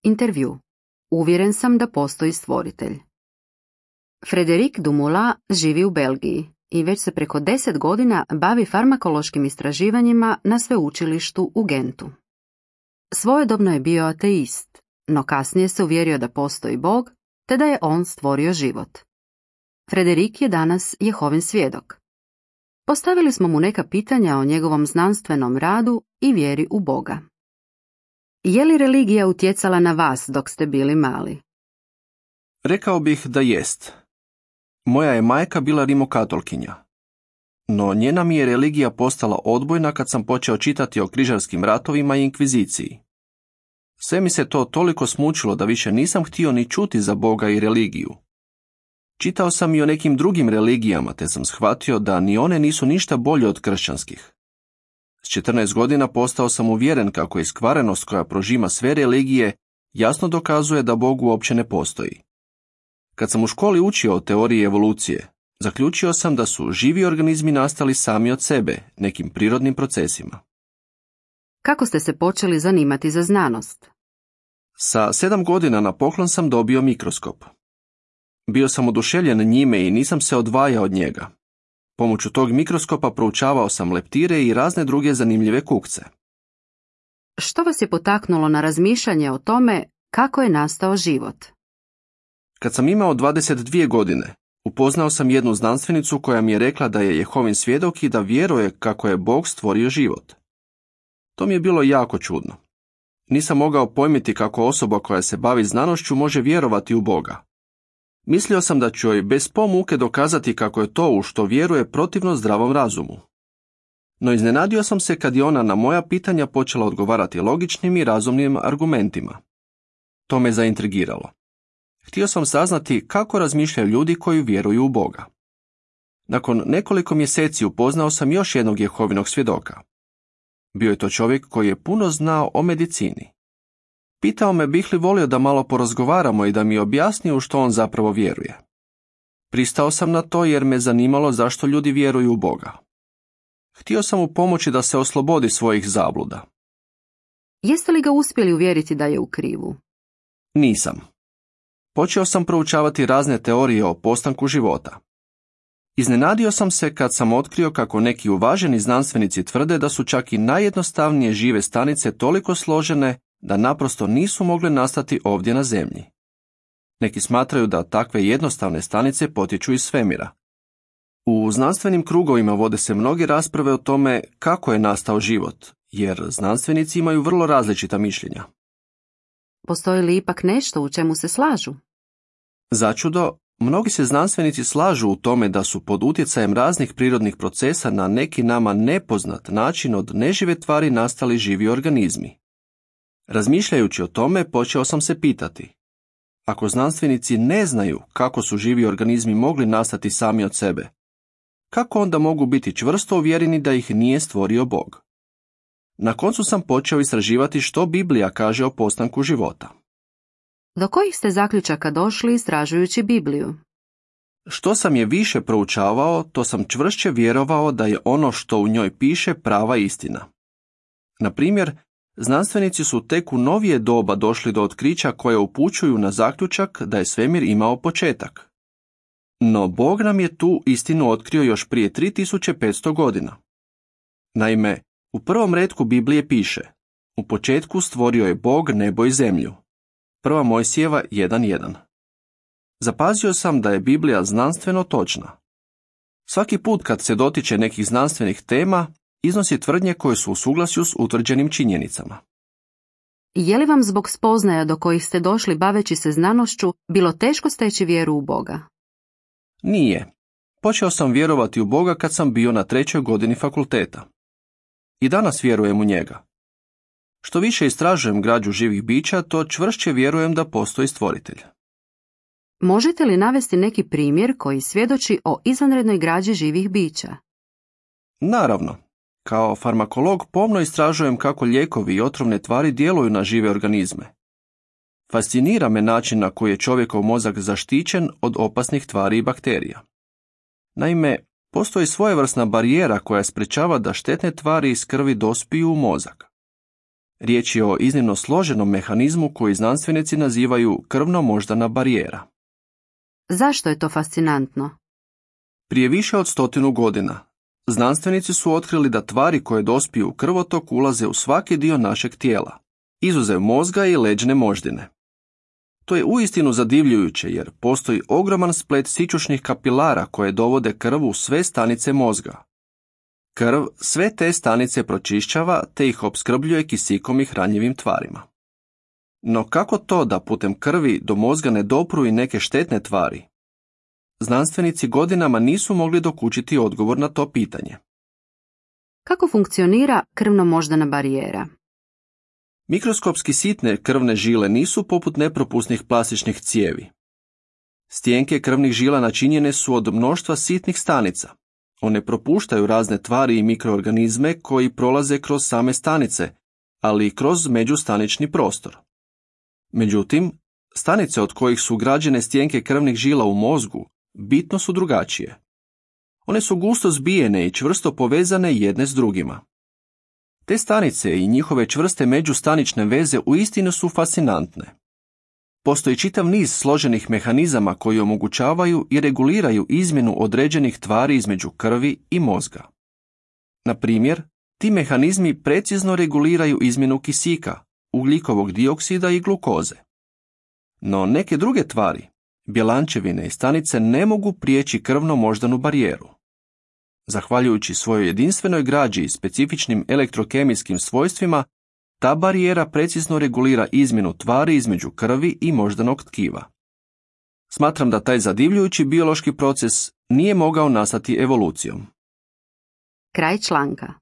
Intervju. Uvjeren sam da postoji stvoritelj. Frederic Dumoulin živi u Belgiji i već se preko 10 godina bavi farmakološkim istraživanjima na sveučilištu u Gentu. Svojedobno je bio ateist, no kasnije se uvjerio da postoji Bog, te da je on stvorio život. Frederic je danas Jehovin svjedok. Postavili smo mu neka pitanja o njegovom znanstvenom radu i vjeri u Boga. Je li religija utjecala na vas dok ste bili mali? Rekao bih da jest. Moja je majka bila rimokatolkinja. No njena mi je religija postala odbojna kad sam počeo čitati o križarskim ratovima i inkviziciji. Sve mi se to toliko smučilo da više nisam htio ni čuti za Boga i religiju. Čitao sam i o nekim drugim religijama, te sam shvatio da ni one nisu ništa bolje od kršćanskih. S 14 godina postao sam uvjeren kako iskvarenost koja prožima sve religije jasno dokazuje da Bog uopće ne postoji. Kad sam u školi učio o teoriji evolucije, zaključio sam da su živi organizmi nastali sami od sebe, nekim prirodnim procesima. Kako ste se počeli zanimati za znanost? Sa 7 godina na poklon sam dobio mikroskop. Bio sam oduševljen njime i nisam se odvajao od njega. Pomoću tog mikroskopa proučavao sam leptire i razne druge zanimljive kukce. Što vas je potaknulo na razmišljanje o tome kako je nastao život? Kad sam imao 22 godine, upoznao sam jednu znanstvenicu koja mi je rekla da je Jehovin svjedok i da vjeruje kako je Bog stvorio život. To mi je bilo jako čudno. Nisam mogao pojmiti kako osoba koja se bavi znanošću može vjerovati u Boga. Mislio sam da ću joj bez pomuke dokazati kako je to u što vjeruje protivno zdravom razumu. No iznenadio sam se kad je ona na moja pitanja počela odgovarati logičnim i razumnim argumentima. To me zaintrigiralo. Htio sam saznati kako razmišljaju ljudi koji vjeruju u Boga. Nakon nekoliko mjeseci upoznao sam još jednog Jehovinog svjedoka. Bio je to čovjek koji je puno znao o medicini. Pitao me bih li volio da malo porazgovaramo i da mi objasni u što on zapravo vjeruje. Pristao sam na to jer me zanimalo zašto ljudi vjeruju u Boga. Htio sam mu pomoći da se oslobodi svojih zabluda. Jeste li ga uspjeli uvjeriti da je u krivu? Nisam. Počeo sam proučavati razne teorije o postanku života. Iznenadio sam se kad sam otkrio kako neki uvaženi znanstvenici tvrde da su čak i najjednostavnije žive stanice toliko složene da naprosto nisu mogle nastati ovdje na zemlji. Neki smatraju da takve jednostavne stanice potječu iz svemira. U znanstvenim krugovima vode se mnoge rasprave o tome kako je nastao život, jer znanstvenici imaju vrlo različita mišljenja. Postoji li ipak nešto u čemu se slažu? Začudo, mnogi se znanstvenici slažu u tome da su pod utjecajem raznih prirodnih procesa na neki nama nepoznat način od nežive tvari nastali živi organizmi. Razmišljajući o tome, počeo sam se pitati. Ako znanstvenici ne znaju kako su živi organizmi mogli nastati sami od sebe, kako onda mogu biti čvrsto uvjereni da ih nije stvorio Bog? Na koncu sam počeo istraživati što Biblija kaže o postanku života. Do kojih ste zaključaka došli istražujući Bibliju? Što sam je više proučavao, to sam čvršće vjerovao da je ono što u njoj piše prava istina. Na primjer, znanstvenici su tek u novije doba došli do otkrića koje upućuju na zaključak da je svemir imao početak. No Bog nam je tu istinu otkrio još prije 3500 godina. Naime, u prvom retku Biblije piše: u početku stvorio je Bog nebo i zemlju. 1. Mojsijeva 1.1. Zapazio sam da je Biblija znanstveno točna. Svaki put kad se dotiče nekih znanstvenih tema, iznosi tvrdnje koje su u suglasju s utvrđenim činjenicama. Je li vam zbog spoznaja do kojih ste došli baveći se znanošću bilo teško steći vjeru u Boga? Nije. Počeo sam vjerovati u Boga kad sam bio na 3. godini fakulteta. I danas vjerujem u njega. Što više istražujem građu živih bića, to čvršće vjerujem da postoji stvoritelj. Možete li navesti neki primjer koji svjedoči o izvanrednoj građi živih bića? Naravno. Kao farmakolog pomno istražujem kako lijekovi i otrovne tvari djeluju na žive organizme. Fascinira me način na koji je čovjekov mozak zaštićen od opasnih tvari i bakterija. Naime, postoji svojevrsna barijera koja sprečava da štetne tvari iz krvi dospiju u mozak. Riječ je o iznimno složenom mehanizmu koji znanstvenici nazivaju krvno-moždana barijera. Zašto je to fascinantno? Prije više od 100 godina, znanstvenici su otkrili da tvari koje dospiju u krvotok ulaze u svaki dio našeg tijela, izuzev mozga i leđne moždine. To je uistinu zadivljujuće jer postoji ogroman splet sićušnih kapilara koje dovode krv u sve stanice mozga. Krv sve te stanice pročišćava te ih opskrbljuje kisikom i hranjivim tvarima. No kako to da putem krvi do mozga ne dopru i neke štetne tvari? Znanstvenici godinama nisu mogli dokučiti odgovor na to pitanje. Kako funkcionira krvno-moždana barijera? Mikroskopski sitne krvne žile nisu poput nepropusnih plastičnih cijevi. Stijenke krvnih žila načinjene su od mnoštva sitnih stanica. One propuštaju razne tvari i mikroorganizme koji prolaze kroz same stanice, ali i kroz međustanični prostor. Međutim, stanice od kojih su građene stijenke krvnih žila u mozgu bitno su drugačije. One su gusto zbijene i čvrsto povezane jedne s drugima. Te stanice i njihove čvrste međustanične veze uistinu su fascinantne. Postoji čitav niz složenih mehanizama koji omogućavaju i reguliraju izmjenu određenih tvari između krvi i mozga. Na primjer, ti mehanizmi precizno reguliraju izmjenu kisika, ugljikovog dioksida i glukoze. No neke druge tvari, bjelančevine i stanice ne mogu prijeći krvno-moždanu barijeru. Zahvaljujući svojoj jedinstvenoj građi i specifičnim elektrokemijskim svojstvima, ta barijera precizno regulira izmjenu tvari između krvi i moždanog tkiva. Smatram da taj zadivljujući biološki proces nije mogao nastati evolucijom. Kraj članka.